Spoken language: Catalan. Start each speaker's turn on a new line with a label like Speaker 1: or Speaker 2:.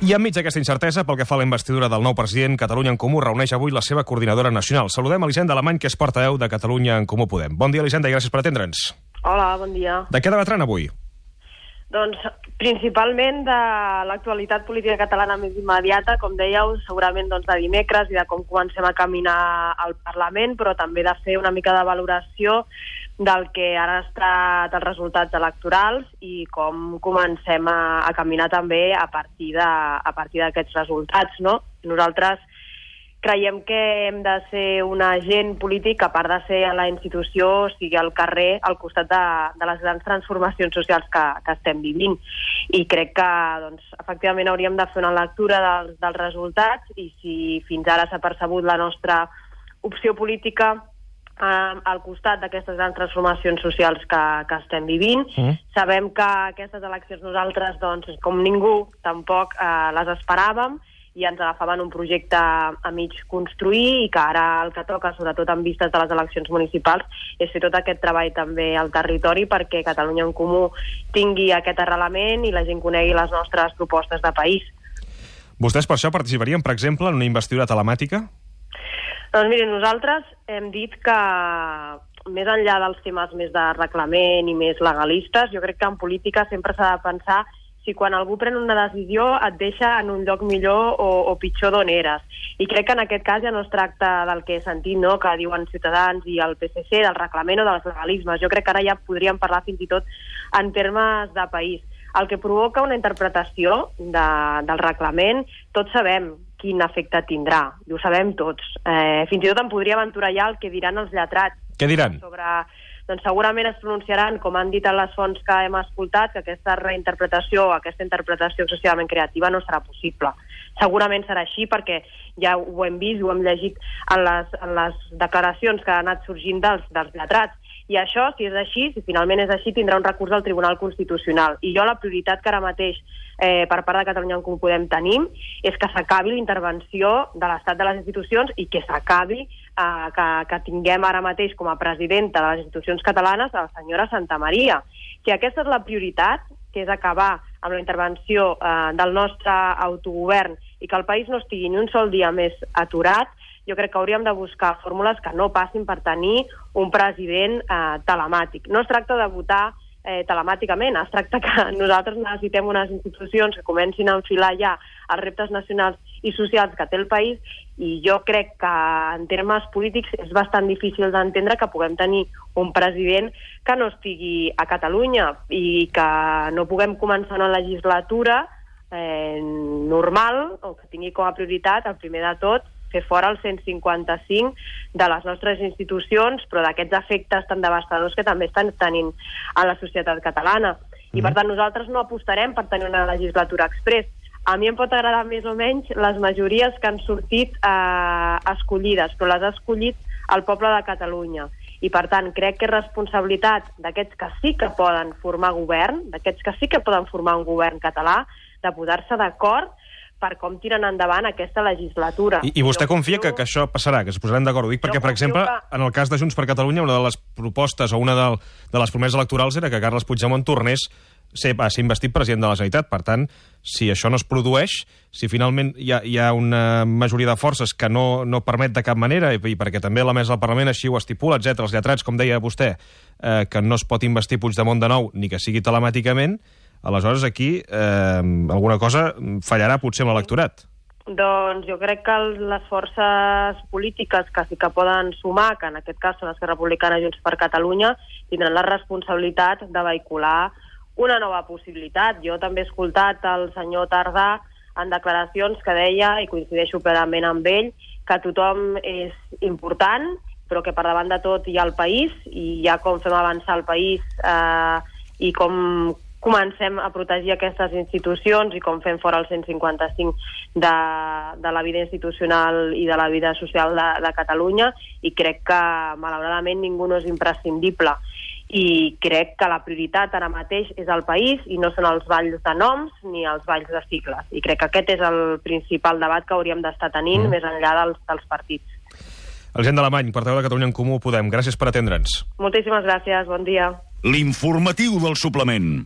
Speaker 1: I enmig d'aquesta incertesa, pel que fa a la investidura del nou president, Catalunya en Comú reuneix avui la seva coordinadora nacional. Saludem a Elisenda Alemany, que és portaveu de Catalunya en Comú Podem. Bon dia, Elisenda, i gràcies per atendre'ns.
Speaker 2: Hola, bon dia.
Speaker 1: De què debatran avui?
Speaker 2: Doncs principalment de l'actualitat política catalana més immediata, com dèieu, segurament de dimecres i de com comencem a caminar al Parlament, però també de fer una mica de valoració del que han estat els resultats electorals i com comencem a caminar també a partir d'aquests resultats, no? Nosaltres creiem que hem de ser un agent polític que, a part de ser a la institució, sigui al carrer, al costat de les grans transformacions socials que estem vivint. I crec que, efectivament, hauríem de fer una lectura dels resultats i si fins ara s'ha percebut la nostra opció política al costat d'aquestes grans transformacions socials que estem vivint. Sabem que aquestes eleccions nosaltres, com ningú, tampoc les esperàvem i ens agafaven un projecte a mig construir i que ara el que toca, sobretot en vistes de les eleccions municipals, és fer tot aquest treball també al territori perquè Catalunya en Comú tingui aquest arrelament i la gent conegui les nostres propostes de país.
Speaker 1: Vostès per això participarien, per exemple, en una investidura telemàtica?
Speaker 2: Doncs miren, nosaltres hem dit que més enllà dels temes més de reglament i més legalistes, jo crec que en política sempre s'ha de pensar si quan algú pren una decisió et deixa en un lloc millor o pitjor d'on eres. I crec que en aquest cas ja no es tracta del que he sentit, no?, que diuen Ciutadans i el PSC, del reglament o dels legalismes. Jo crec que ara ja podríem parlar fins i tot en termes de país. El que provoca una interpretació del reglament, tots sabem quin efecte tindrà, i ho sabem tots. Fins i tot em podria aventurar ja el que diran els lletrats.
Speaker 1: Què diran?
Speaker 2: Doncs segurament es pronunciaran, com han dit en les fonts que hem escoltat, que aquesta reinterpretació, aquesta interpretació excessivament creativa no serà possible. Segurament serà així perquè ja ho hem vist, ho hem llegit en les declaracions que han anat sorgint dels lletrats. I això, si és així, si finalment és així, tindrà un recurs al Tribunal Constitucional. I jo la prioritat que ara mateix per part de Catalunya en Comú Podem tenim és que s'acabi la intervenció de l'Estat de les institucions i que s'acabi que tinguem ara mateix com a presidenta de les institucions catalanes la senyora Santamaría. Si aquesta és la prioritat, que és acabar amb la intervenció del nostre autogovern i que el país no estigui ni un sol dia més aturat, jo crec que hauríem de buscar fórmules que no passin per tenir un president telemàtic. No es tracta de votar telemàticament, es tracta que nosaltres necessitem unes institucions que comencin a enfilar ja els reptes nacionals i socials que té el país i jo crec que en termes polítics és bastant difícil d'entendre que puguem tenir un president que no estigui a Catalunya i que no puguem començar una legislatura normal o que tingui com a prioritat, el primer de tot, fer fora el 155 de les nostres institucions, però d'aquests efectes tan devastadors que també estan tenint a la societat catalana. I per tant nosaltres no apostarem per tenir una legislatura express. A mi em pot agradar més o menys les majories que han sortit escollides, però les ha escollit el poble de Catalunya. I per tant crec que és responsabilitat d'aquests que sí que poden formar govern, d'aquests que sí que poden formar un govern català, de posar-se d'acord per com tiren endavant aquesta legislatura.
Speaker 1: I vostè confia que això passarà, que es posaran d'acord? Ho dic perquè, per exemple, en el cas de Junts per Catalunya, una de les propostes o una de les promeses electorals era que Carles Puigdemont tornés a ser investit president de la Generalitat. Per tant, si això no es produeix, si finalment hi ha una majoria de forces que no permet de cap manera, i perquè també la mesa del Parlament així ho estipula, etc., els lletrats, com deia vostè, que no es pot investir Puigdemont de nou, ni que sigui telemàticament, aleshores aquí alguna cosa fallarà potser amb l'electorat.
Speaker 2: Doncs jo crec que les forces polítiques que sí que poden sumar, que en aquest cas són Esquerra Republicana i Junts per Catalunya, tindran la responsabilitat de vehicular una nova possibilitat. Jo també he escoltat el senyor Tardà en declaracions que deia, i coincideixo plenament amb ell, que tothom és important, però que per davant de tot hi ha el país, i ja com fem avançar el país i com comencem a protegir aquestes institucions i com fem fora el 155 de la vida institucional i de la vida social de Catalunya, i crec que malauradament ningú no és imprescindible. I crec que la prioritat ara mateix és el país i no són els balls de noms ni els balls de sigles. I crec que aquest és el principal debat que hauríem d'estar tenint més enllà dels partits.
Speaker 1: Elisenda Alemany, portaveu de Catalunya en Comú Podem, gràcies per atendre'ns.
Speaker 2: Moltíssimes gràcies, bon dia.
Speaker 3: L'informatiu del suplement.